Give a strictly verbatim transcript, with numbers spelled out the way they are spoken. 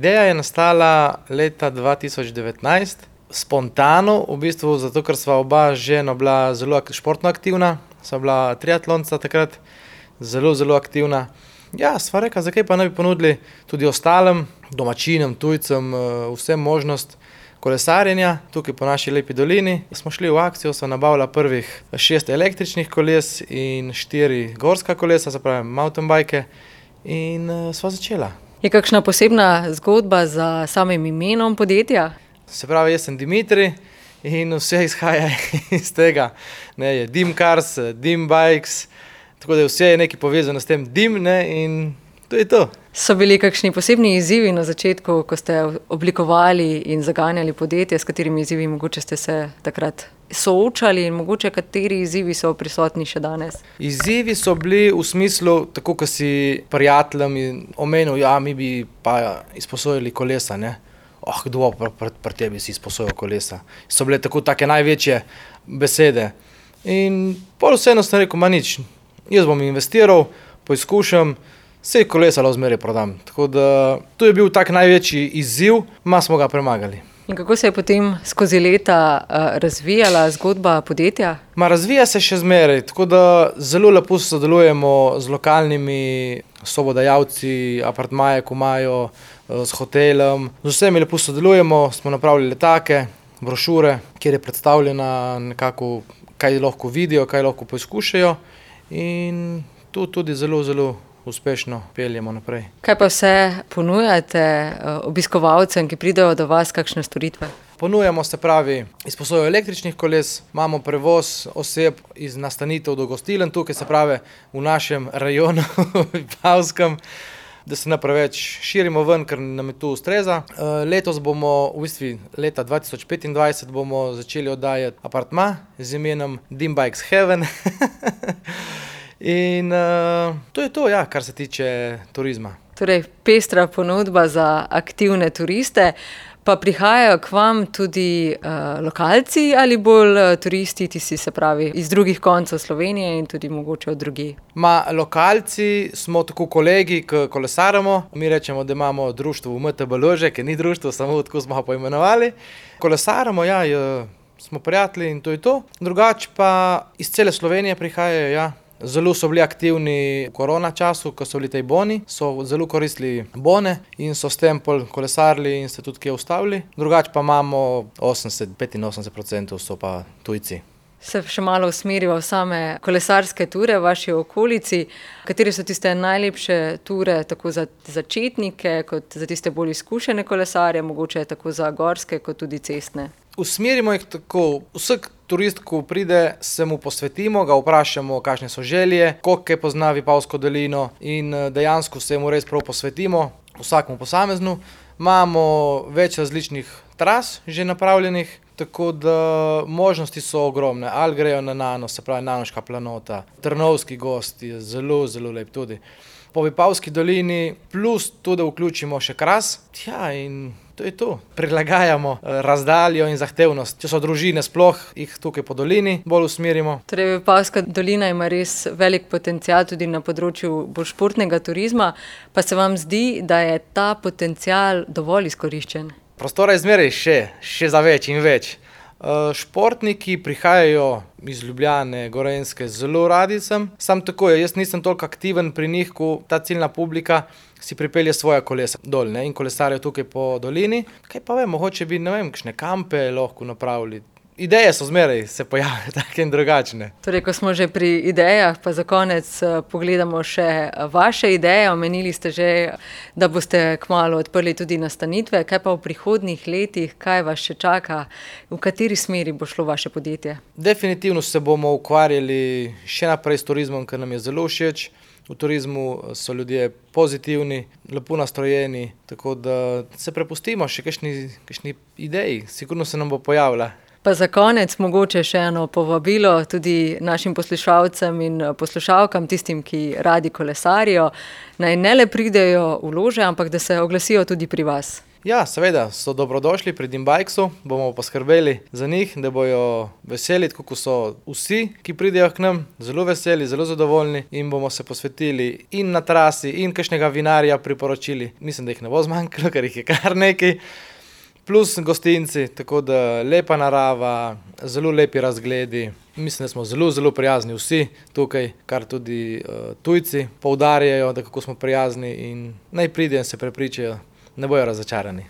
Ideja je nastala leta dva tisoč devetnajst, spontano, v bistvu zato, ker sva oba z ženo bila zelo športno aktivna, sva bila triatlonca takrat, zelo, zelo aktivna. Ja, sva rekla, zakaj pa ne bi ponudili tudi ostalim domačinom, tujcem, vsem možnost kolesarjenja tukaj po naši lepi dolini. Smo šli v akcijo, sva nabavila prvih šest električnih koles in štiri gorska kolesa, se pravi mountainbike, in sva začela. Je kakšna posebna zgodba za samim imenom podjetja? Se pravi, jaz sem Dimitrij in vse izhaja iz tega. Ne, je Dim Cars, Dim Bikes, tako da vse je nekaj povezano s tem Dim, ne, in to je to. So bili kakšni posebni izzivi na začetku, ko ste oblikovali in zaganjali podjetje, s katerimi izzivi mogoče ste se takrat soočali in mogoče kateri izzivi so prisotni še danes? Izzivi so bili v smislu, tako ko si prijateljem omenil, ja, mi bi pa izposojili kolesa, ne. Oh, kdo pa pri, pri tebi si izposojil kolesa. So bile tako take največje besede. In pol vseeno sem rekel, ma nič, jaz bom investiral, poizkušam, saj kolesa lahko zmeraj prodam. Tako da to je bil tak največji izziv, ma smo ga premagali. In kako se je potem skozi leta uh, razvijala zgodba podjetja? Ma razvija se še zmeraj, tako da zelo lepo sodelujemo z lokalnimi sobodajalci, apartmaje, ko imajo, s hotelom. Z vsemi lepo sodelujemo, smo napravili letake, brošure, kjer je predstavljena nekako, kaj lahko vidijo, kaj lahko poizkušajo, in tu tudi zelo, zelo uspešno peljemo naprej. Kaj pa vse ponujate obiskovalcem, ki pridejo do vas, kakšne storitve? Ponujamo, se pravi, izposojo električnih koles, imamo prevoz oseb iz nastanitev do gostiln, tukaj se pravi v našem rajonu, Vipavskem, da se ne preveč širimo ven, ker nam je tu ustreza. Letos bomo, v bistvu leta dva tisoč petindvajset, bomo začeli oddajati apartma z imenom Dim Bikes Heaven. In uh, to je to, ja, kar se tiče turizma. Torej, pestra ponudba za aktivne turiste. Pa prihajajo k vam tudi uh, lokalci ali bolj uh, turisti, tisti, se pravi, iz drugih koncev Slovenije in tudi mogoče od drugje? Ma, lokalci smo tako kolegi, ki kolesaramo. Mi rečemo, da imamo društvo v M T B Lože, ki ni društvo, samo tako smo poimenovali. Kolesaramo, ja, je, smo prijatelji in to je to. Drugače pa iz cele Slovenije prihajajo, ja. Zelo so bili aktivni v korona času, ko so bili tej boni, so zelo koristili bone in so s tem pol kolesarili in se tudi kje ustavili. Drugače pa imamo osemdeset do petinosemdeset procentov so pa tujci. Se še malo usmeriva v same kolesarske ture v vaši okolici. Katere so tiste najlepše ture tako za začetnike, kot za tiste bolj izkušene kolesarje, mogoče tako za gorske, kot tudi cestne? Usmerimo jih tako, vsak turist, ko pride, se mu posvetimo, ga vprašamo, kakšne so želje, koliko pozna Vipavsko dolino, in dejansko se mu res prav posvetimo, vsakemu posameznu. Imamo več različnih tras že napravljenih, tako da možnosti so ogromne. Ali grejo na Nano, se pravi Nanoška planota, Trnovski gozd je zelo, zelo lep tudi. Po Vipavski dolini, plus tudi vključimo še Kras, ja, in to je to. Prilagajamo razdaljo in zahtevnost. Če so družine, sploh jih tukaj po dolini bolj usmerimo. Torej, Vipavska dolina ima res velik potencial tudi na področju bolj športnega turizma, pa se vam zdi, da je ta potencial dovolj izkoriščen? Prostora je zmeraj še, še za več in več. Športniki prihajajo iz Ljubljane, Gorenjske, zelo radi sem. Sam tako je, jaz nisem toliko aktiven pri njih, ko ta ciljna publika si pripelje svoja kolesa dol, ne, in kolesarijo tukaj po dolini. Kaj pa vem, mogoče bi, ne vem, kakšne kampe lahko napravili. Ideje so zmeraj se pojavljajo take in drugačne. Torej, ko smo že pri idejah, pa za konec pogledamo še vaše ideje. Omenili ste že, da boste kmalu odprli tudi nastanitve. Kaj pa v prihodnjih letih, kaj vas še čaka, v kateri smeri bo šlo vaše podjetje? Definitivno se bomo ukvarjali še naprej s turizmom, ker nam je zelo všeč. V turizmu so ljudje pozitivni, lepo nastrojeni, tako da se prepustimo še kakšni, kakšni ideji. Sigurno se nam bo pojavila. Pa za konec mogoče še eno povabilo tudi našim poslušalcem in poslušalkam, tistim, ki radi kolesarijo, naj ne le pridejo v Lože, ampak da se oglasijo tudi pri vas. Ja, seveda, so dobrodošli pri Dimbikesu, bomo poskrbeli za njih, da bojo veseli, tako kot so vsi, ki pridejo k nam, zelo veseli, zelo zadovoljni in bomo se posvetili in na trasi in kakšnega vinarja priporočili. Mislim, da jih ne bo zmanjkalo, ker jih je kar nekaj. Plus gostinci, tako da lepa narava, zelo lepi razgledi. Mislim, da smo zelo, zelo prijazni vsi tukaj, kar tudi uh, tujci poudarjajo, da kako smo prijazni in naj pridejo in se prepričajo, ne bojo razočarani.